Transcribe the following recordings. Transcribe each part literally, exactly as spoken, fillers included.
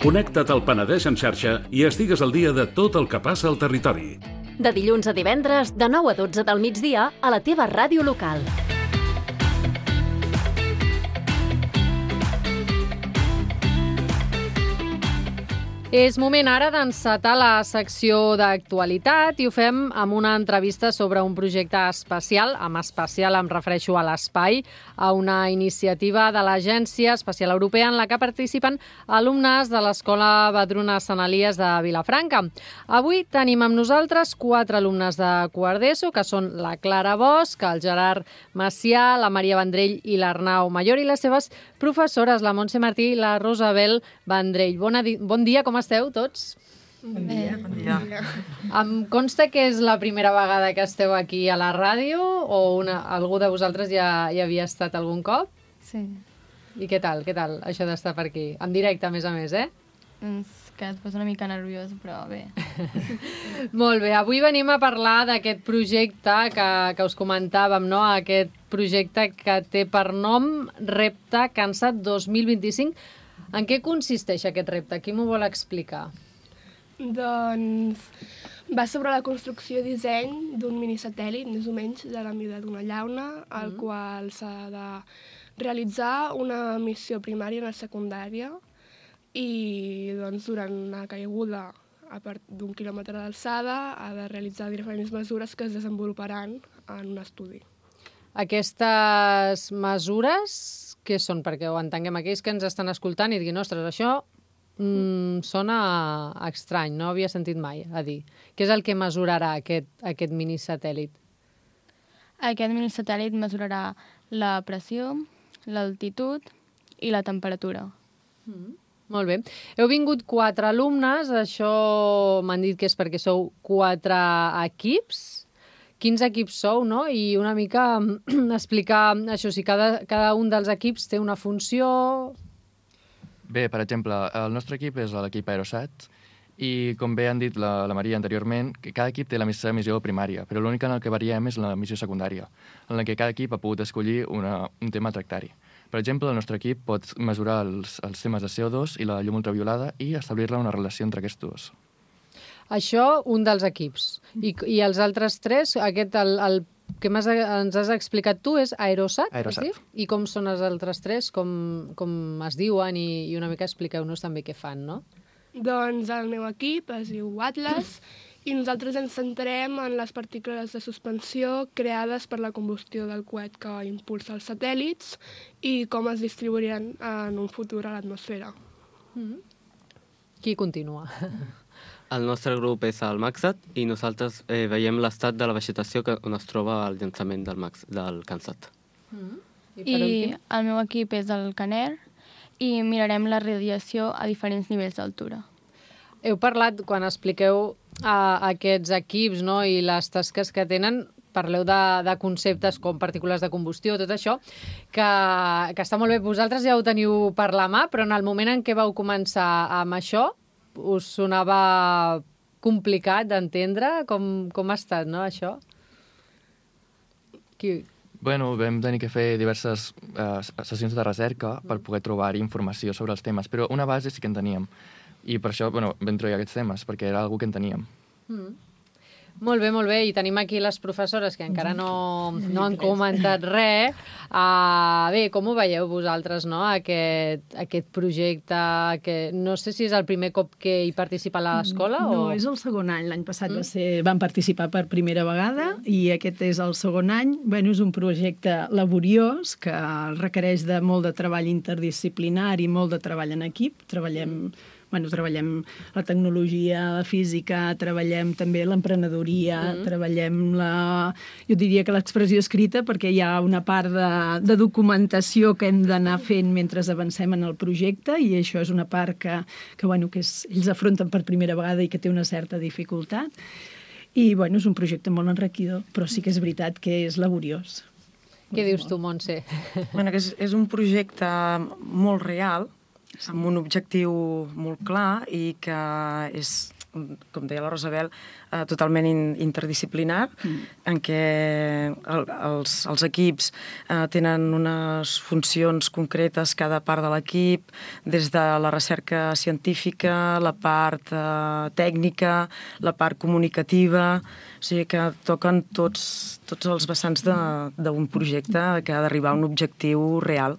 Connecta't al Penedès en xarxa i estigues al dia de tot el que passa al territori. De dilluns a divendres, de nou a dotze del migdia, a la teva ràdio local. És moment ara d'encetar la secció d'actualitat i ho fem amb una entrevista sobre un projecte especial, amb especial em refereixo a l'espai, a una iniciativa de l'Agència Espacial Europea en la que participen alumnes de l'Escola Vedruna Sant Elies de Vilafranca. Avui tenim amb nosaltres quatre alumnes de quart d'ESO, que són la Clara Bosch, el Gerard Macià, la Maria Vendrell i l'Arnau Mayor, i les seves professores, la Montse Martí i la Rosabel Vendrell. Bona di- bon dia, com esteu tots? Bon dia. Bon dia. Em consta que és la primera vegada que esteu aquí a la ràdio o una, algú de vosaltres ja hi havia estat algun cop? Sí. I què tal, què tal, això d'estar per aquí? En directe, a més a més, eh? És que et posa una mica nerviós, però bé. Molt bé, avui venim a parlar d'aquest projecte que, que us comentàvem, no? Aquest projecte que té per nom Repte Cansat dos mil vint-i-cinc. En què consisteix aquest repte? Qui m'ho vol explicar? Doncs va sobre la construcció i disseny d'un minisatèl·lit, més o menys, de la mida d'una llauna, al Mm. qual s'ha de realitzar una missió primària i una secundària i doncs, durant una caiguda a part d'un quilòmetre d'alçada ha de realitzar diferents mesures que es desenvoluparan en un estudi. Aquestes mesures, què són? Perquè ho entenguem aquells que ens estan escoltant i diguin, ostres, això mm, sona estrany, no havia sentit mai a dir. Què és el que mesurarà aquest, aquest minisatèl·lit? Aquest minisatèl·lit mesurarà la pressió, l'altitud i la temperatura. Mm. Molt bé. Heu vingut quatre alumnes, això m'han dit que és perquè sou quatre equips. Quins equips sou, no? I una mica explicar això, si cada, cada un dels equips té una funció... Bé, per exemple, el nostre equip és l'equip Aerosat i, com bé han dit la, la Maria anteriorment, que cada equip té la seva missió primària, però l'únic en el que variem és la missió secundària, en la que cada equip ha pogut escollir una, un tema a tractar-hi. Per exemple, el nostre equip pot mesurar els, els temes de C O dos i la llum ultraviolada i establir-ne una relació entre aquests dos. Això, un dels equips. I, i els altres tres, aquest, el, el que m'has, ens has explicat tu, és Aerosat? Aerosat. Es diu? I com són els altres tres? Com, com es diuen? I, i una mica expliqueu-nos també què fan, no? Doncs el meu equip es diu Atlas i nosaltres ens centrem en les partícules de suspensió creades per la combustió del coet que impulsa els satèl·lits i com es distribuiran en un futur a l'atmosfera. Mm. Qui continua? El nostre grup és el Maxat i nosaltres eh, veiem l'estat de la vegetació que, on es troba el llançament del, Max, del Cansat. Mm. I, I per últim? el meu equip és el Caner i mirarem la radiació a diferents nivells d'altura. Heu parlat, quan expliqueu a aquests equips, no, i les tasques que tenen, parleu de, de conceptes com partícules de combustió, tot això, que, que està molt bé. Vosaltres ja ho teniu per la mà, però en el moment en què vau començar amb això, us sonava complicat d'entendre? Com, com ha estat, no, això? Qui... Bueno, vam tenir que fer diverses eh, sessions de recerca per poder trobar informació sobre els temes, però una base sí que en teníem. I per això, bueno, vam trobar aquests temes, perquè era algo que en teníem. Mm. Molt bé, molt bé. I tenim aquí les professores que encara no, no han comentat res. Uh, bé, com ho veieu vosaltres, no?, aquest, aquest projecte? Que no sé si és el primer cop que hi participa a l'escola No, o... és el segon any. L'any passat Mm. va ser, van participar per primera vegada i aquest és el segon any. Bueno, és un projecte laboriós que requereix de molt de treball interdisciplinari, molt de treball en equip. Treballem... Bueno, treballem la tecnologia, la física, treballem també l'emprenedoria, mm. treballem la... Jo diria que l'expressió escrita, perquè hi ha una part de, de documentació que hem d'anar fent mentre avancem en el projecte i això és una part que, que, bueno, que és, ells afronten per primera vegada i que té una certa dificultat. I bueno, és un projecte molt enriquidor, però sí que és veritat que és laboriós. Què dius tu, Montse? Bueno, que és, és un projecte molt real, amb un objectiu molt clar i que és, com deia la Rosabel, eh, totalment in, interdisciplinar, mm. en què el, els, els equips eh, tenen unes funcions concretes cada part de l'equip, des de la recerca científica, la part eh, tècnica, la part comunicativa, o sigui que toquen tots, tots els vessants d'un projecte que ha d'arribar a un objectiu real.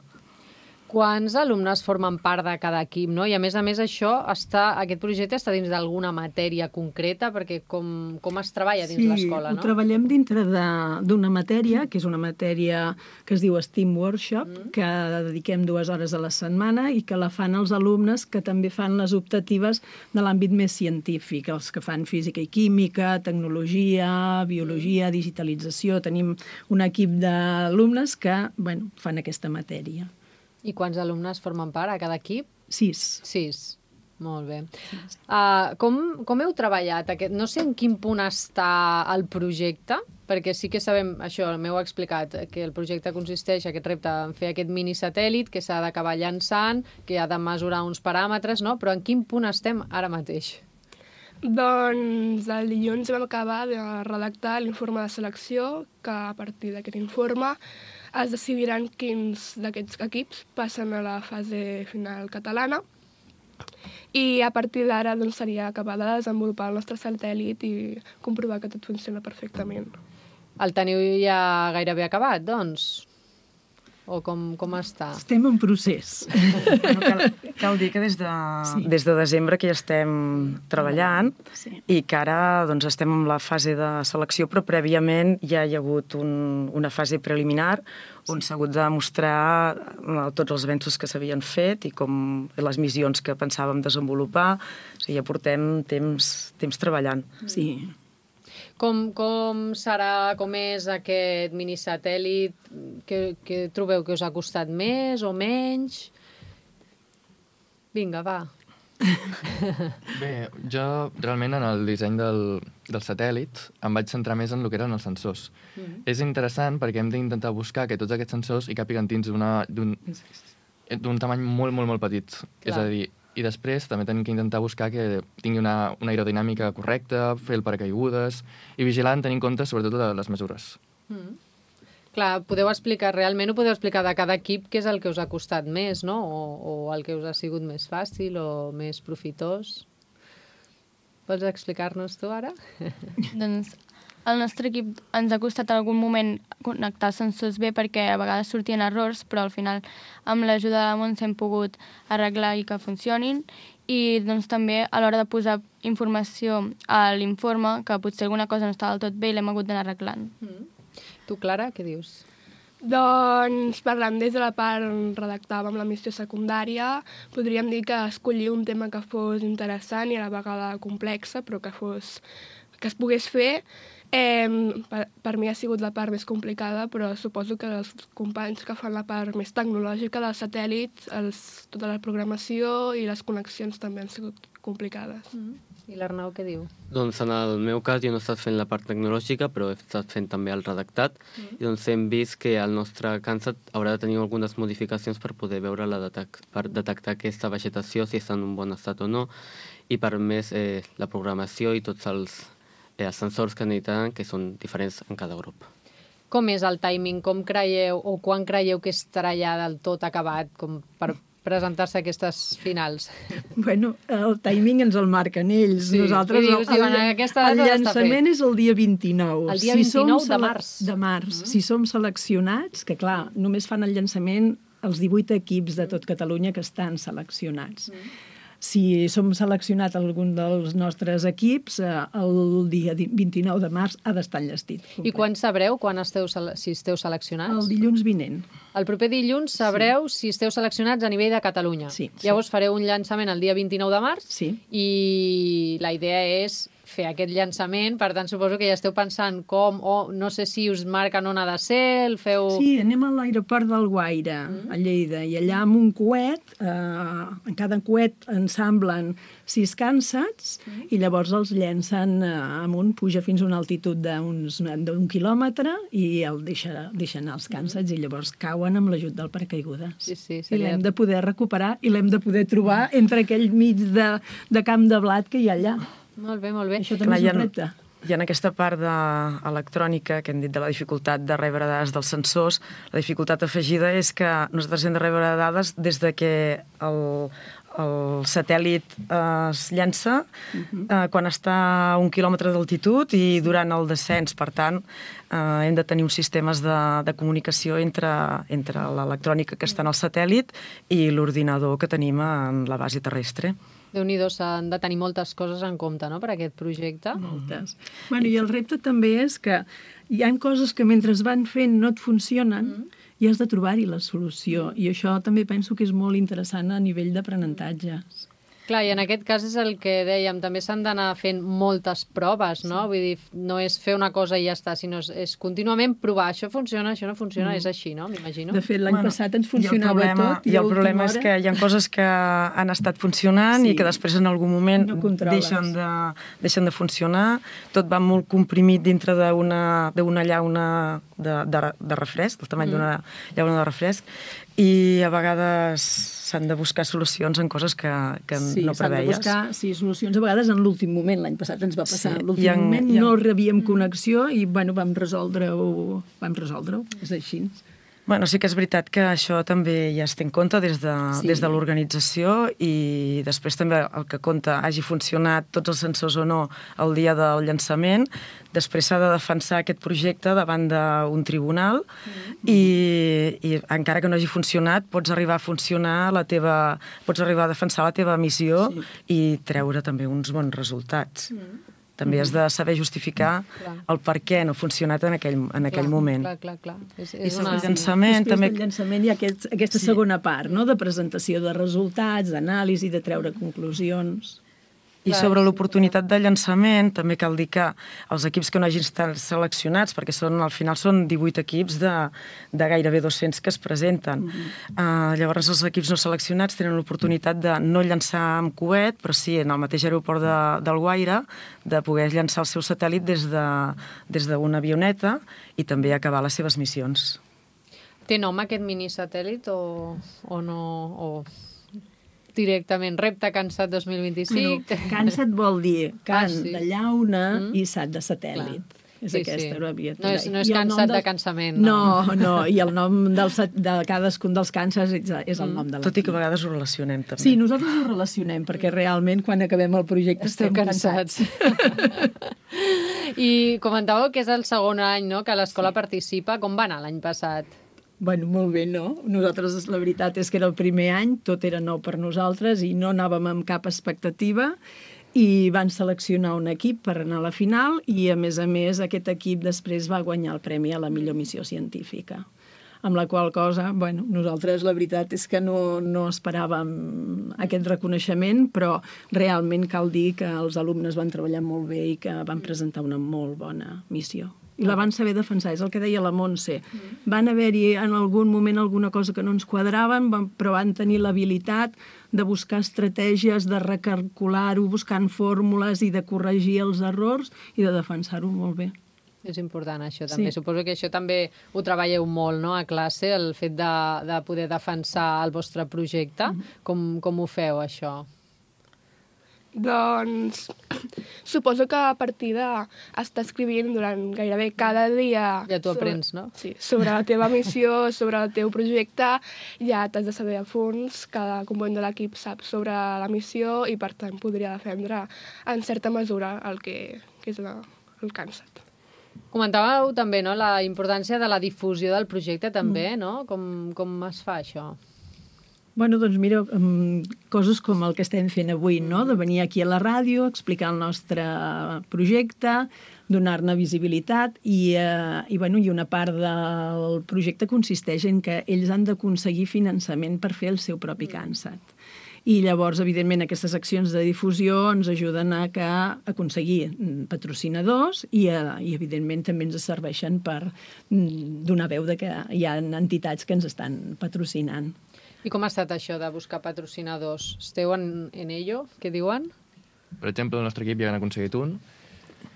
Quants alumnes formen part de cada equip, no? I a més a més això està, aquest projecte està dins d'alguna matèria concreta, perquè com, com es treballa dins sí, l'escola, no? Sí, ho treballem dintre d'una matèria, que és una matèria que es diu STEAM Workshop, mm. que dediquem dues hores a la setmana i que la fan els alumnes que també fan les optatives de l'àmbit més científic, els que fan física i química, tecnologia, biologia, digitalització. Tenim un equip d'alumnes que, bueno, fan aquesta matèria. I quants alumnes formen part a cada equip? Sis. Sis. Molt bé. Uh, com, com heu treballat aquest? No sé en quin punt està el projecte, perquè sí que sabem, això m'heu explicat, que el projecte consisteix, aquest repte, en fer aquest minisatèl·lit que s'ha d'acabar llançant, que ha de mesurar uns paràmetres, no? Però en quin punt estem ara mateix? Doncs el dilluns vam acabar de redactar l'informe de selecció, que a partir d'aquest informe es decidiran quins d'aquests equips passen a la fase final catalana i a partir d'ara doncs, seria acabar de desenvolupar el nostre satèl·lit i comprovar que tot funciona perfectament. El teniu ja gairebé acabat, doncs? O com, com està? Estem en procés. Bueno, cal, cal dir que des de, sí. des de desembre que ja estem treballant sí. i que ara doncs, estem en la fase de selecció, però prèviament ja hi ha hagut un, una fase preliminar on s'ha hagut de mostrar tots els avenços que s'havien fet i com les missions que pensàvem desenvolupar. O sigui, ja portem temps, temps treballant. Sí. Com, com serà, com és aquest minisatèl·lit? Què, què trobeu que us ha costat més o menys? Vinga, va. Bé, jo realment en el disseny del, del satèl·lit em vaig centrar més en el que eren els sensors. Mm-hmm. És interessant perquè hem d'intentar buscar que tots aquests sensors hi càpiguen dins d'un d'un tamany molt, molt, molt petit. Clar. És a dir, i després també tenim que intentar buscar que tingui una, una aerodinàmica correcta, fer el paracaigudes i vigilant tenint en compte sobretot les mesures. Mm. Clar, podeu explicar, realment ho podeu explicar de cada equip què és el que us ha costat més, no? O, o el que us ha sigut més fàcil o més profitós. Vols explicar-nos tu ara? Doncs el nostre equip ens ha costat en algun moment connectar els sensors bé perquè a vegades sortien errors, però al final amb l'ajuda de la Montse hem pogut arreglar i que funcionin. I doncs també a l'hora de posar informació a l'informe, que potser alguna cosa no estava del tot bé i l'hem hagut d'anar arreglant. Mm. Tu, Clara, què dius? Doncs parlant des de la part on redactàvem la missió secundària, podríem dir que escollir un tema que fos interessant i a la vegada complexa, però que fos que es pogués fer. Eh, per, per mi ha sigut la part més complicada, però suposo que els companys que fan la part més tecnològica del satèl·lit, els, tota la programació i les connexions també han sigut complicades. Mm. I l'Arnau què diu? Doncs en el meu cas jo no he estat fent la part tecnològica, però he estat fent també el redactat, mm. i doncs hem vist que el nostre CANSAT haurà de tenir algunes modificacions per poder veure la detec per detectar aquesta vegetació, si està en un bon estat o no, i per més eh, la programació i tots els els sensors que necessiten, que són diferents en cada grup. Com és el timing? Com creieu, o quan creieu que estarà ja del tot acabat com per presentar-se a aquestes finals? Bueno, el timing ens el marquen ells. Sí. Nosaltres, dius, el, diuen, el, el llançament és el dia vint-i-nou. El dia vint-i-nou de març. De març. Mm. Si som seleccionats, que clar, només fan el llançament els divuit equips de tot Catalunya que estan seleccionats. Mm. Si som seleccionat algun dels nostres equips, el dia vint-i-nou de març ha d'estar enllestit. I quan sabreu quan esteu, si esteu seleccionats? El dilluns vinent. El proper dilluns sabreu sí. si esteu seleccionats a nivell de Catalunya. Sí, Llavors sí. fareu un llançament el dia vint-i-nou de març sí. i la idea és fer aquest llançament, per tant suposo que ja esteu pensant com, o no sé si us marquen on ha de ser, el feu... Sí, anem a l'aeroport del Guaire, mm. a Lleida, i allà amb un coet, eh, en cada coet ensamblen sis CANSATs mm. i llavors els llencen eh, amunt, puja fins a una altitud d'un quilòmetre i el deixa, deixa anar els CANSATs mm. i llavors cauen amb l'ajut del paracaigudes. Sí, sí, I l'hem de poder recuperar i l'hem de poder trobar entre aquell mig de, de camp de blat que hi ha allà. Molt bé, molt bé. Això també Clar, és hi ha- un repte. I en aquesta part d'electrònica, que hem dit de la dificultat de rebre dades dels sensors, la dificultat afegida és que nosaltres hem de rebre dades des de que el, el satèl·lit eh, es llança eh, quan està a un quilòmetre d'altitud i durant el descens. Per tant, eh, hem de tenir uns sistemes de, de comunicació entre, entre l'electrònica que està en el satèl·lit i l'ordinador que tenim en la base terrestre. Déu-n'hi-do, s'han de tenir moltes coses en compte, no?, per aquest projecte. Moltes. Bueno, i el repte també és que hi ha coses que mentre es van fent no et funcionen i has de trobar-hi la solució. I això també penso que és molt interessant a nivell d'aprenentatge. Clar, i en aquest cas és el que dèiem, també s'han d'anar fent moltes proves, no? Vull dir, no és fer una cosa i ja està, sinó és, és contínuament provar, això funciona, això no funciona, mm. és així, no? M'imagino. De fet, l'any Bueno, passat ens I el funcionava problema, tot. I el a última problema és hora- que hi ha coses que han estat funcionant Sí. i que després en algun moment No controles. deixen, de, deixen de funcionar. Tot va molt comprimit dintre d'una d'una llauna de, de, de refresc, del tamany mm. d'una llauna de refresc, i a vegades s'han de buscar solucions en coses que, que sí, no s'han de preveies. buscar sí, solucions a vegades en l'últim moment. L'any passat ens va passar. Sí, En l'últim i en- moment i en- no rebíem connexió i bueno, vam resoldre-ho. Vam resoldre-ho, és així. Bueno, sí que és veritat que això també ja es té en compte des de, Sí. des de l'organització i després també el que compta hagi funcionat tots els sensors o no el dia del llançament. Després s'ha de defensar aquest projecte davant d'un tribunal mm. i, i encara que no hagi funcionat pots arribar a funcionar la teva, pots arribar a defensar la teva missió sí. i treure també uns bons resultats. Mm. També has de saber justificar Clar. el per què no ha funcionat en aquell, en aquell Clar, moment. Clar, clar, clar. És, I és sobre una... el llançament Després també... del llançament hi ha aquest, aquesta sí. segona part, no?, de presentació de resultats, d'anàlisi, de treure conclusions. I sobre l'oportunitat de llançament, també cal dir que els equips que no hagin estat seleccionats, perquè són, al final són divuit equips de, de gairebé dos-cents que es presenten. Mm-hmm. uh, llavors, els equips no seleccionats tenen l'oportunitat de no llançar amb coet, però sí en el mateix aeroport de, del Guaire, de poder llançar el seu satèl·lit des de, des d'una avioneta i també acabar les seves missions. Té nom aquest minisatèl·lit o, o no... O... directament, repte cansat dos mil vint-i-cinc. Bueno, cansat vol dir can Ah, sí. de llauna Mm. i sat de satèl·lit. Clar. És Sí, aquesta sí. abreviatura. No és- no és I el cansat nom de del- cansament, No, no. no, i el nom del, sat- de cadascun dels càncers és, és el nom de l'equip. Tot i que a vegades ho relacionem també. Sí, nosaltres ho relacionem, perquè realment quan acabem el projecte Esteu estem cansats. cansats. I comentàveu que és el segon any, no?, que l'escola participa. Com va anar l'any passat? Bueno, molt bé, no? Nosaltres, la veritat és que era el primer any, tot era nou per nosaltres i no anàvem amb cap expectativa i van seleccionar un equip per anar a la final i, a més a més, aquest equip després va guanyar el premi a la millor missió científica. Amb la qual cosa, bueno, nosaltres la veritat és que no, no esperàvem aquest reconeixement, però realment cal dir que els alumnes van treballar molt bé i que van presentar una molt bona missió. I la van saber defensar, és el que deia la Montse. Van haver-hi en algun moment alguna cosa que no ens quadraven, van, però van tenir l'habilitat de buscar estratègies, de recalcular-ho, buscant fórmules i de corregir els errors i de defensar-ho molt bé. És important, això, també. Sí. Suposo que això també ho treballeu molt, no?, a classe, el fet de, de poder defensar el vostre projecte. Mm-hmm. Com, com ho feu, això? Doncs suposo que a partir d'estar escrivint durant gairebé cada dia... Ja t'ho aprens, no? Sí, sobre la teva missió, sobre el teu projecte, ja t'has de saber a fons, cada component de l'equip sap sobre la missió i per tant podria defendre en certa mesura el que, que és la, el cansat. Comentàveu també, no?, la importància de la difusió del projecte també, no? Com, com es fa això? Bueno, doncs mira, um, coses com el que estem fent avui, no?, de venir aquí a la ràdio, explicar el nostre projecte, donar-ne visibilitat i, eh, i, bueno, i una part del projecte consisteix en que ells han d'aconseguir finançament per fer el seu propi CANSAT. I llavors, evidentment, aquestes accions de difusió ens ajuden a, que, a aconseguir patrocinadors i, a, i, evidentment, també ens serveixen per mm, donar veu de que hi ha entitats que ens estan patrocinant. I com ha estat això de buscar patrocinadors? Esteu en, en ello? Què diuen? Per exemple, el nostre equip ja han aconseguit un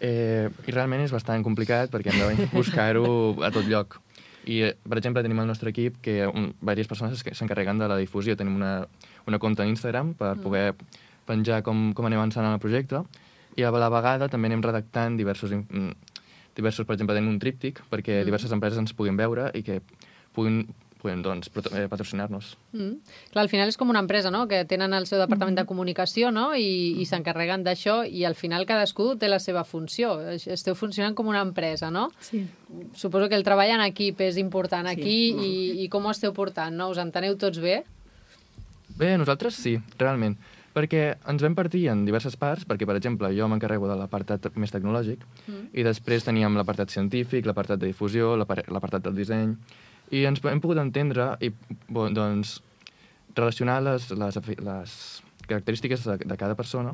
eh, i realment és bastant complicat perquè hem de buscar-ho a tot lloc. I, eh, per exemple, tenim el nostre equip que un, diverses persones que s'encarreguen de la difusió. Tenim una, una compte en Instagram per poder penjar com, com anem avançant en el projecte I a la vegada també anem redactant diversos, diversos per exemple, tenim un tríptic perquè mm. diverses empreses ens puguin veure i que puguin, puguin doncs, patrocinar-nos. Mm. Clar, al final és com una empresa, no?, que tenen el seu departament de comunicació, no?, i, i s'encarreguen d'això, i al final cadascú té la seva funció. Esteu funcionant com una empresa, no? Sí. Suposo que el treball en equip és important aquí, sí. i, i com ho esteu portant, no? Us enteneu tots bé? Bé, nosaltres sí, realment. Perquè ens vam partir en diverses parts, perquè, per exemple, jo m'encarrego de l'apartat més tecnològic, mm. i després teníem l'apartat científic, l'apartat de difusió, l'apartat del disseny, i ens hem pogut entendre i bon, doncs, relacionar les, les, les característiques de, de cada persona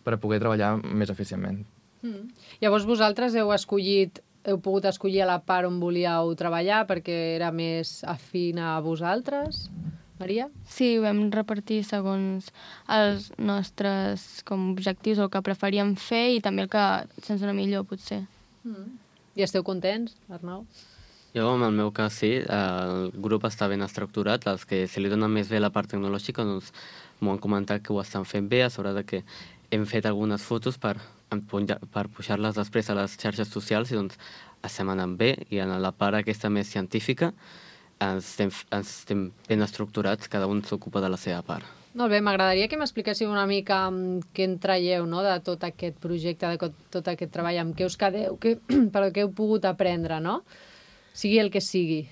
per a poder treballar més eficientment. Mm. Llavors vosaltres heu escollit, heu pogut escollir a la part on volíeu treballar perquè era més afín a vosaltres? Maria? Sí, ho vam repartir segons els nostres com, objectius o el que preferíem fer i també el que se'ns dona millor, potser. Mm. I esteu contents, Arnau? Jo, en el meu cas, sí. El grup està ben estructurat. Els que se li dona més bé la part tecnològica doncs, m'ho han comentat que ho estan fent bé, a sobre de que hem fet algunes fotos per, per pujar-les després a les xarxes socials i doncs estem anant bé. I en la part aquesta més científica ens estem, ens estem ben estructurats, cada un s'ocupa de la seva part. Molt bé, m'agradaria que m'expliquéssiu una mica què en traieu, no?, de tot aquest projecte, de tot aquest treball, amb què us quedeu, què, però què heu pogut aprendre, no? Sigui el que sigui.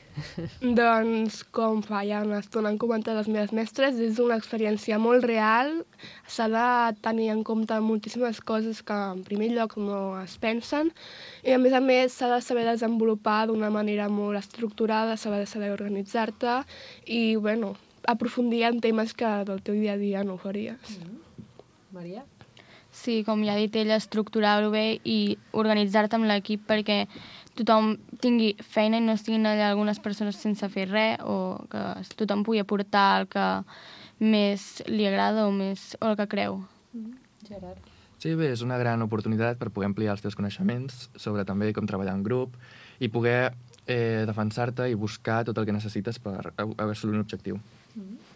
Doncs, com fa ja una estona han comentat les meves mestres, és una experiència molt real. S'ha de tenir en compte moltíssimes coses que en primer lloc no es pensen i a més a més s'ha de saber desenvolupar d'una manera molt estructurada, s'ha de saber organitzar-te i, bueno, aprofundir en temes que del teu dia a dia no ho faries. Mm-hmm. Maria? Sí, com ja ha dit ella, estructurar-ho bé i organitzar-te amb l'equip perquè tothom tingui feina i no estiguin allà algunes persones sense fer res o que tothom pugui aportar el que més li agrada o, més, o el que creu. Gerard. Sí, bé, és una gran oportunitat per poder ampliar els teus coneixements sobre també com treballar en grup i poder eh, defensar-te i buscar tot el que necessites per assolir un objectiu. Mm-hmm.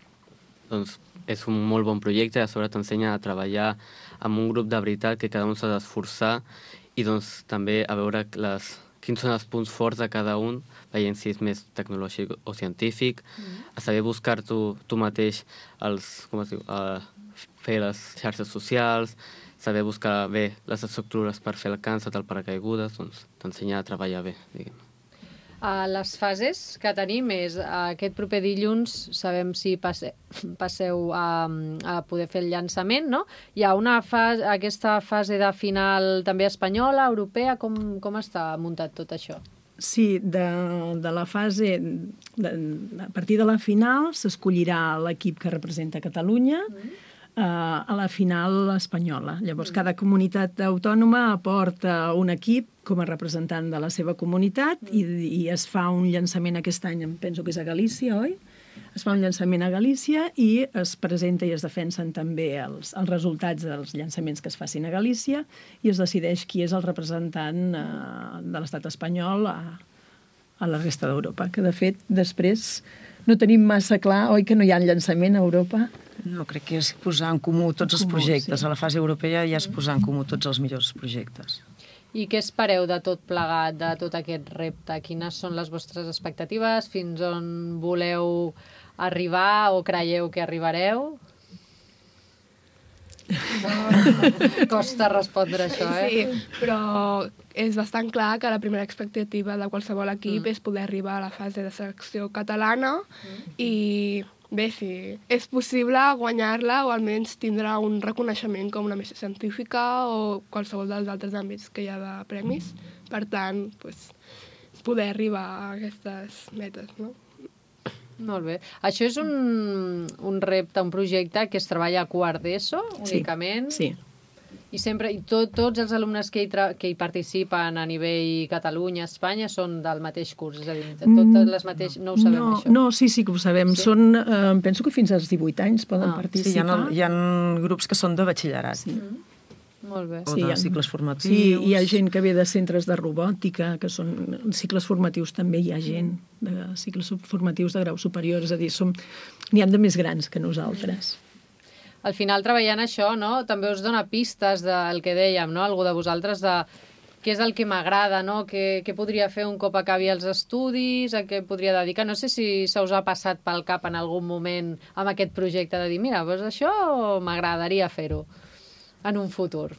Doncs és un molt bon projecte, a sobre t'ensenya a treballar amb un grup de veritat que cada un s'ha d'esforçar i doncs també a veure les, quins són els punts forts de cada un, veient si és més tecnològic o científic, mm. a saber buscar tu, tu mateix els, com es diu, uh, fer les xarxes socials, saber buscar bé les estructures per fer el càncer, el paracaigudes, doncs t'ensenya a treballar bé, diguem. Uh, les fases que tenim és uh, aquest proper dilluns sabem si passe, passeu a, a poder fer el llançament, no? Hi ha una fase, aquesta fase de final també espanyola, europea, com, com està muntat tot això? Sí, de, de la fase, de, a partir de la final s'escollirà l'equip que representa Catalunya, mm. a la final espanyola. Llavors, cada comunitat autònoma aporta un equip com a representant de la seva comunitat i, i es fa un llançament aquest any, em penso que és a Galícia, oi? Es fa un llançament a Galícia i es presenta i es defensen també els, els resultats dels llançaments que es facin a Galícia i es decideix qui és el representant eh, de l'estat espanyol a, a la resta d'Europa, que de fet després no tenim massa clar, oi, que no hi ha llançament a Europa? No, crec que és posar en comú tots els projectes. A la fase europea ja és posar en comú tots els millors projectes. I què espereu de tot plegat, de tot aquest repte? Quines són les vostres expectatives? Fins on voleu arribar o creieu que arribareu? Costa respondre això, eh? Sí, però és bastant clar que la primera expectativa de qualsevol equip mm. és poder arribar a la fase de selecció catalana mm. i bé, sí, és possible guanyar-la o almenys tindrà un reconeixement com una missió científica o qualsevol dels altres àmbits que hi ha de premis. Per tant, pues, poder arribar a aquestes metes, no? Molt bé. Això és un, un repte, un projecte que es treballa a quart d'ESO, únicament? Sí, sí. I sempre, i tot, tots els alumnes que hi, tra que hi participen a nivell Catalunya, Espanya, són del mateix curs? És a dir, totes les mateixes... No ho sabem, no, això? No, sí, sí que ho sabem. Sí? Són, eh, penso que fins als divuit anys poden ah, participar. Sí, hi ha, hi ha grups que són de batxillerat. Sí. Mm. Molt bé. O sí, de ha, cicles formatius. Sí, hi ha gent que ve de centres de robòtica, que són cicles formatius, també hi ha gent de cicles formatius de grau superior, és a dir, som n'hi ha de més grans que nosaltres. al final treballant això, no? També us dona pistes del que dèiem, no? Algú de vosaltres de què és el que m'agrada, no? Què, què podria fer un cop acabi els estudis, a què podria dedicar. No sé si se us ha passat pel cap en algun moment amb aquest projecte de dir, mira, doncs això m'agradaria fer-ho en un futur.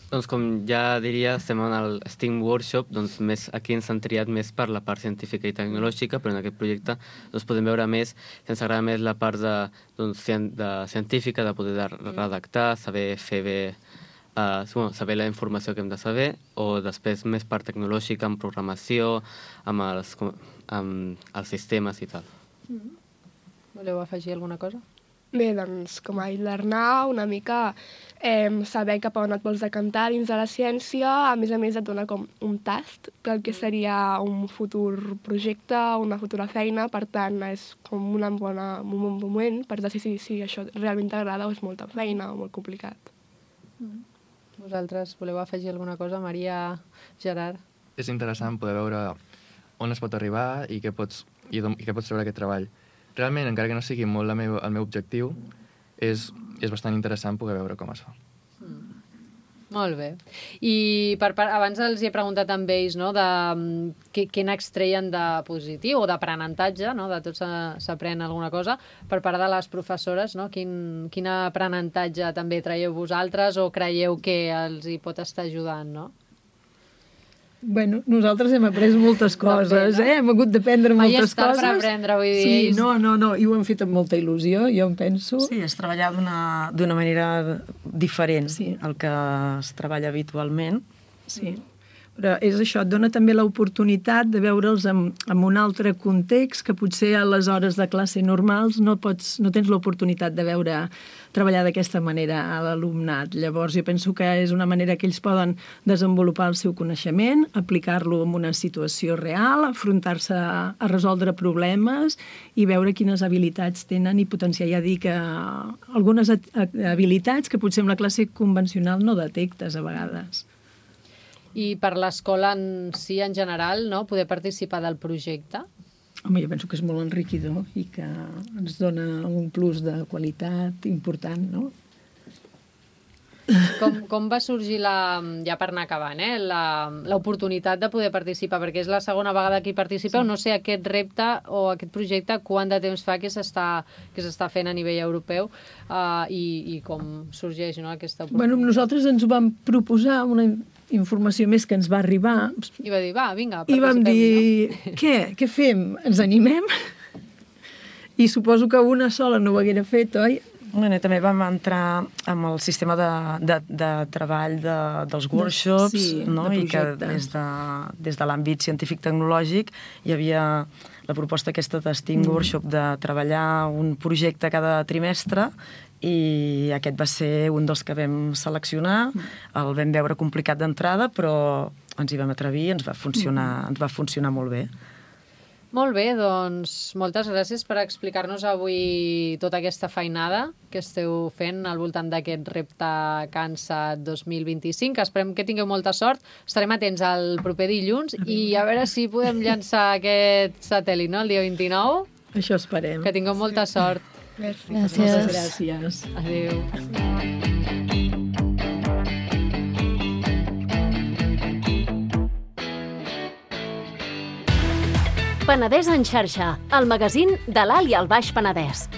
Doncs com ja diria, estem en el STEAM Workshop, doncs més, aquí ens han triat més per la part científica i tecnològica, però en aquest projecte doncs, podem veure més, si ens agrada més la part de, doncs, de científica, de poder redactar, saber fer bé, uh, bueno, saber la informació que hem de saber, o després més part tecnològica, amb programació, amb els, amb els sistemes i tal. Mm-hmm. Voleu afegir alguna cosa? Bé, doncs, com a l'Arnau, una mica eh, saber cap a on et vols decantar dins de la ciència, a més a més et dona com un tast del que seria un futur projecte, una futura feina, per tant, és com una bona, un bon moment per decidir si això realment t'agrada o és molta feina o molt complicat. Vosaltres voleu afegir alguna cosa, Maria, Gerard? És interessant poder veure on es pot arribar i què pots, i d'on, i què pots treure aquest treball. Realment, encara que no sigui molt el meu, el meu objectiu, és, és bastant interessant poder veure com es fa. Mm. Molt bé. I per, per, abans els he preguntat amb ells, no, de què, què n'extreien de positiu o d'aprenentatge, no, de tot s'aprèn alguna cosa. Per part de les professores, no, quin, quin aprenentatge també traieu vosaltres o creieu que els hi pot estar ajudant, no? Bueno, nosaltres hem après moltes coses, bé, no? eh? Hem hagut d'aprendre moltes coses. Mai és tard per aprendre, vull dir. Sí, no, no, no, i ho hem fet amb molta il·lusió, jo em penso. Sí, és treballar d'una manera diferent, sí, al que es treballa habitualment. Sí, però és això, et dona també l'oportunitat de veure'ls en, en un altre context que potser a les hores de classe normals no, pots, no tens l'oportunitat de veure treballar d'aquesta manera a l'alumnat. Llavors jo penso que és una manera que ells poden desenvolupar el seu coneixement, aplicar-lo en una situació real, afrontar-se a, a resoldre problemes i veure quines habilitats tenen i potenciar, ja dic, algunes habilitats que potser en la classe convencional no detectes a vegades. I per l'escola en si, en general, no? Poder participar del projecte? Home, jo penso que és molt enriquidor i que ens dona un plus de qualitat important, no? Com, com va sorgir, la, ja per anar acabant, eh, l'oportunitat de poder participar? Perquè és la segona vegada que hi participeu. Sí. No sé aquest repte o aquest projecte quant de temps fa que s'està fent a nivell europeu uh, i, i com sorgeix, no, aquesta oportunitat? Bueno, nosaltres ens ho vam proposar una informació més que ens va arribar. I va dir, va, vinga, participem. I vam dir, no? què? Què fem? Ens animem? I suposo que una sola no ho haguera fet, oi? Bueno, també vam entrar amb el sistema de, de, de treball de, dels workshops, sí, no? De I que des de, des de l'àmbit científic-tecnològic hi havia la proposta aquesta de STEAM mm. Workshop de treballar un projecte cada trimestre i aquest va ser un dels que vam seleccionar. El vam veure complicat d'entrada, però ens hi vam atrevir i ens va funcionar, ens va funcionar molt bé. Molt bé, doncs moltes gràcies per explicar-nos avui tota aquesta feinada que esteu fent al voltant d'aquest repte CANSAT dos mil vint-i-cinc. Esperem que tingueu molta sort. Estarem atents al proper dilluns i a veure si podem llançar aquest satèl·lit, no?, el dia vint-i-nou. Això esperem. Que tingueu molta sort. Merci. Gràcies. Moltes gràcies. Adéu. Penedès en xarxa, el magazín de l'Alt i el Baix Penedès.